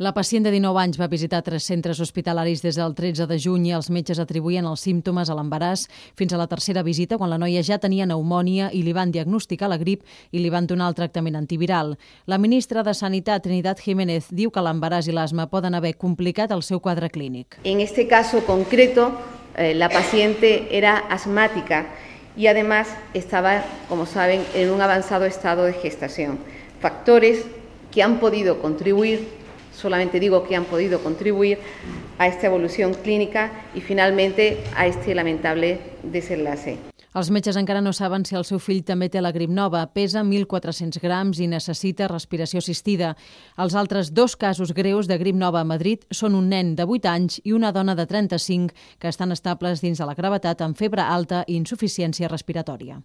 La pacient de 19 anys va visitar 3 centres hospitalaris des del 13 de juny i els metges atribuïen els símptomes a l'embaràs fins a la tercera visita, quan la noia ja tenia pneumònia i li van diagnosticar la grip i li van donar el tractament antiviral. La ministra de Sanitat, Trinidad Jiménez, diu que l'embaràs i l'asma poden haver complicat el seu quadre clínic. En este caso concreto, la paciente era asmática y además estaba, como saben, en un avanzado estado de gestación. Factores que han podido contribuir, solamente digo que han podido contribuir a esta evolución clínica y finalmente a este lamentable desenlace. Els metges encara no saben si el seu fill també té la grip nova. Pesa 1.400 grams i necessita respiració assistida. Els altres 2 casos greus de grip nova a Madrid són un nen de 8 anys i una dona de 35 que estan estables dins de la gravetat amb febre alta i insuficiència respiratòria.